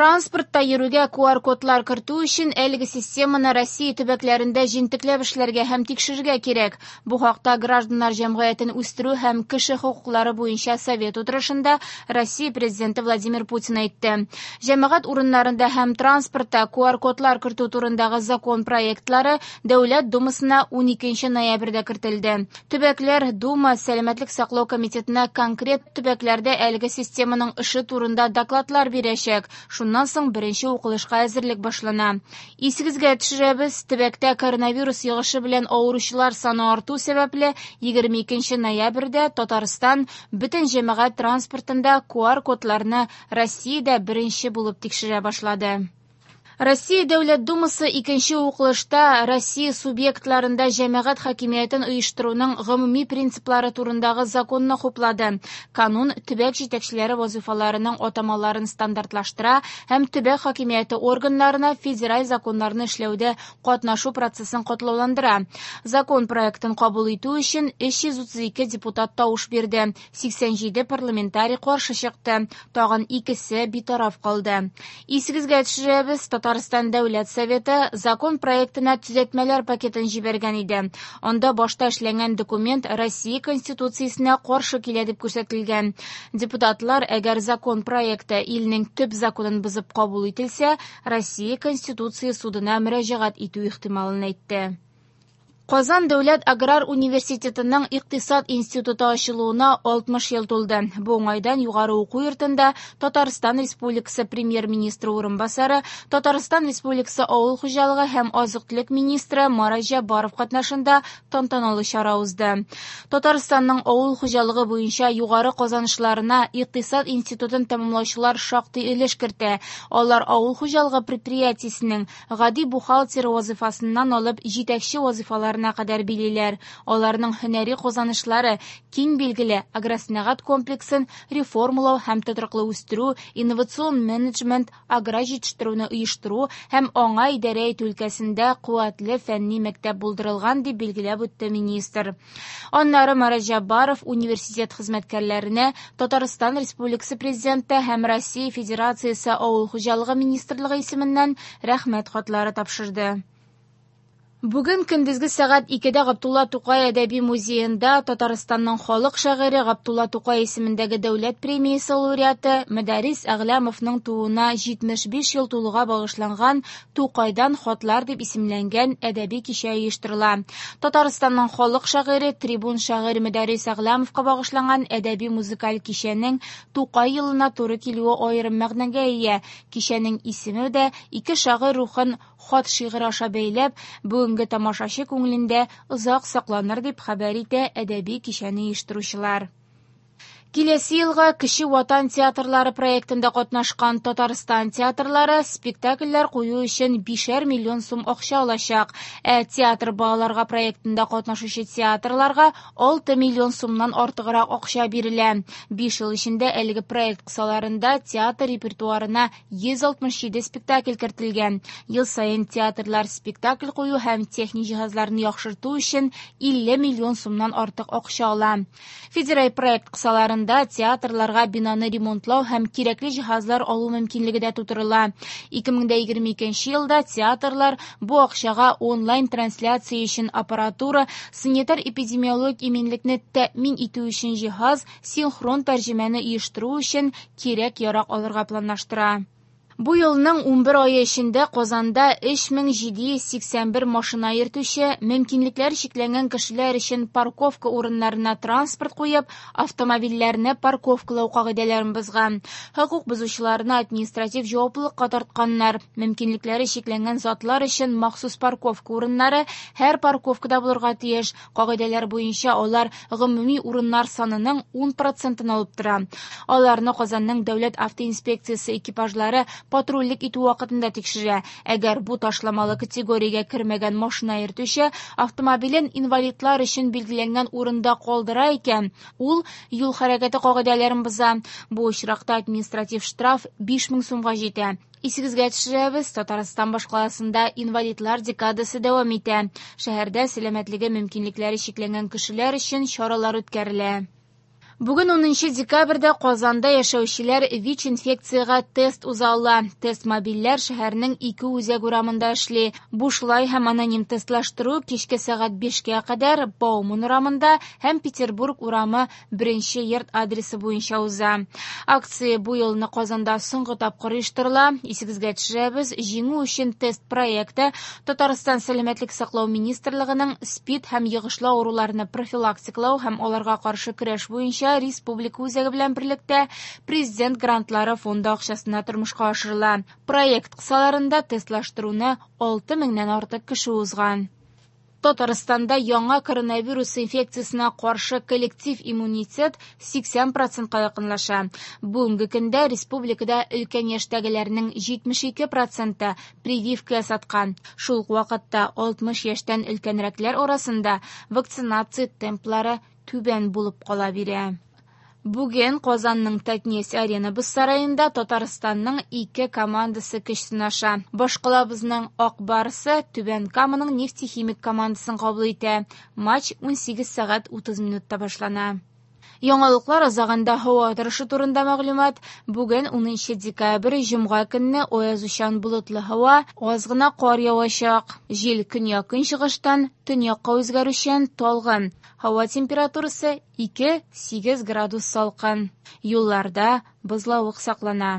Транспортта йөрүгә QR-кодлар кертү өчен әлеге системаны Россия төбәкләрендә җентекләп эшләргә һәм тикшерергә кирәк. Бу хакта гражданнар җәмгыятен үстерү һәм кеше хокуклары буенча совет утырышында Россия Президенты Владимир Путин әйтте. Җәмәгать урыннарында һәм транспортта QR-кодлар кертү турындагы закон проектлары Дәүләт Думасына 12 ноябрьдә кертелде. Төбәкләр Дума Сәламәтлек саклау комитетына конкрет төбәкләрдә әлеге системаның эше турында докладлар бирәчәк. Шуннан соң беренче укылышка әзерлек башлана. Исегезгә төшерәбез, төбәктә коронавирус йогышы белән авыручылар саны арту сәбәпле, 22 ноябрьдә Татарстан бөтен җәмәгать транспортында QR-кодларны Россиядә беренче булып тикшерә башлады. Россия Дәүләт Думасы икенче укылышта Россия субъектларында җәмәгать хакимиятен оештыруның гомуми принциплары турындагы законны хуплады. Канун төбәк җитәкчеләре вазыйфаларының атамаларын стандартлаштыра һәм төбәк хакимияте органнарына федераль законнарны эшләүдә катнашу процессын катлауландыра. Закон проектын кабул итү өчен 332 депутат тавыш бирде, 87 парламентарий каршы чыкты, тагын икесе битараф калды. Исегезгә төшерәбез, Татарстан Дәүләт Советы закон проектына төзәтмәләр пакетын җибәргән иде. Анда башта эшләнгән документ Россия Конституциясенә каршы килә дип күрсәтелгән. Депутатлар, әгәр закон проекты илнең төп законын бозып кабул ителсә, Россия Конституция судына мөрәҗәгать итү ихтималын әйтте. Казан дәүләт аграр университетының икътисад институты ачылуына 60 ел тулды. Бу уңайдан югары уку йортында Татарстан Республикасы премьер-министры урынбасары, Татарстан Республикасы авыл хуҗалыгы һәм азык-төлек министры Марат Җәббаров катнашында тантаналы чара узды. Татарстанның авыл хуҗалыгы буенча югары казанышларына икътисад институтын тәмамлаучылар шактый өлеш кертә. Алар авыл хуҗалыгы предприятиесенең гади бухгалтер вазыйфасыннан алып җитәкче вазыйфаларына кадәр билиләр. Аларның һөнәри казанышлары киң билгеле агросәнәгать комплексын реформалау һәм тотрыклы үстерү, инновацион менеджмент, аграр җитештерүне оештыру һәм аңа идарә итү өлкәсендә куәтле фәнни мәктәп булдырылган, дип билгеләп үтте министр. Аннары Марат Җәббаров университет хезмәткәрләренә Татарстан Республикасы Президенты һәм Россия Федерациясе Авыл хуҗалыгы министрлыгы исеменнән рәхмәт хатлары тапшырды. Бүген көндезге сәгать 2-дә Габдулла Тукай әдәби музеенда Татарстанның халык шагыйре Габдулла Тукай исемендәге дәүләт премиясе лауреаты Мөдәррис Әгъләмовның тууына 75 ел тулуга багышланган Тукайдан хатлар дип исемләнгән әдәби кичә оештырыла. Татарстанның халык шагыйре, трибун шагыйрь Мөдәррис Әгъләмовка багышланган әдәби музыкаль кичәнең Тукай елына туры килүе аерым мәгънәгә ия. Кичәнең исеме дә ике шагыйрь рухын хат шигырь аша бәйләп, бүгенге тамашачы күңелендә озак сакланыр дип хәбәр итә әдәби кичәне оештыручылар. Киләсе елга Кече Ватан театрлары проектында катнашкан Татарстан театрлары спектакльләр кую өчен 5 миллион сум акча алачак. Ә театр балаларга проектында катнашучы театрларга 6 миллион сумнан артыграк акча бирелә. 5 ел эчендә әлеге проект кысаларында театр репертуарына 167 спектакль кертелгән. Ел саен театрлар спектакль кую һәм техник җиһазларны яхшырту өчен 50 миллион сумнан артык акча ала. Федераль проект кысаларында театрларга бинаны ремонтлау һәм кирәкле җиһазлар алу мөмкинлеге дә тутырыла. 2022 елда театрлар бу акчага онлайн трансляция өчен аппаратура, санитар-эпидемиологик иминлекне тәэмин итү өчен җиһаз, синхрон тәрҗемәне оештыру өчен кирәк-ярак алырга планлаштыра. Бу елның 11 ае эчендә Казанда 3781 машина йөртүче, мөмкинлекләре чикләнгән кешеләр өчен парковка урыннарына транспорт куеп, автомобильләрне парковкалау кагыйдәләрен бозган. Хокук бозучыларны административ җаваплылыкка тартканнар. Мөмкинлекләре чикләнгән затлар өчен махсус парковка урыннары һәр парковкада булырга тиеш. Кагыйдәләр буенча алар гомуми урыннар санының 10%-ын алып тора. Аларны Казанның дәүләт автоинспекциясе экипажлары патрульлек итү вакытында тикшерә. Әгәр бу ташламалы категориягә кермәгән машина йөртүче автомобилен инвалидлар өчен билгеләнгән урында калдыра икән, ул юл хәрәкәте кагыйдәләрен боза. Бу очракта административ штраф 5000 сумга җитә. Исегезгә төшерәбез, Татарстан башкаласында инвалидлар декадасы дәвам итә. Шәһәрдә сәламәтлеге мөмкинлекләре чикләнгән кешеләр өчен чаралар үткәрелә. Бүген 10 декабрьдә Казанда яшәүчеләр ВИЧ-инфекциягә тест уза ала. Тест-мобильләр шәһәрнең ике үзәк урамында эшли. Бушлай һәм аноним тестлаштыру кичке сәгать 5кә кадәр Бауман урамында һәм Петербург урамы 1 йорт адресы буенча уза. Акция бу елны Казанда соңгы тапкыр оештырыла. Исегезгә төшерәбез, Җиңү өчен тест проекты Татарстан Сәламәтлек саклау министрлыгының СПИД һәм йогышлы авыруларны профилактикалау һәм аларга каршы көрәш буенча республика үзәге белән берлектә Президент грантлары фонды акчасына тормышка ашырыла. Проект кысаларында тестлаштыруны 6 меңнән артык кеше узган. Татарстанда яңа коронавирус инфекциясенә каршы коллектив иммунитет 80 процентка якынлаша. Бүгенге көндә республикада өлкән яшьтәгеләрнең 72 проценты прививка ясаткан. Шул ук вакытта 60 яшьтән өлкәнрәкләр арасында вакцинация темплары түбән булып кала бирә. Бүген Казанның Татнефть-Арена боз сараенда Татарстанның ике командасы көч сынаша. Башкалабызның Ак Барсы Түбән Каманың Нефтехимик командасын кабул итә. Матч 18 сәгать 30 минутта башлана. Яңалыклар азагында һава торышы турында мәгълүмат. Бүген 10 декабрь, җомга көнне аязучан болытлы һава, аз гына кар явачак. Җил көньяк-көнчыгыштан төньякка үзгәрүчән, талгын. Һава температурасы 2-8 градус салкын. Юлларда бозлавык саклана.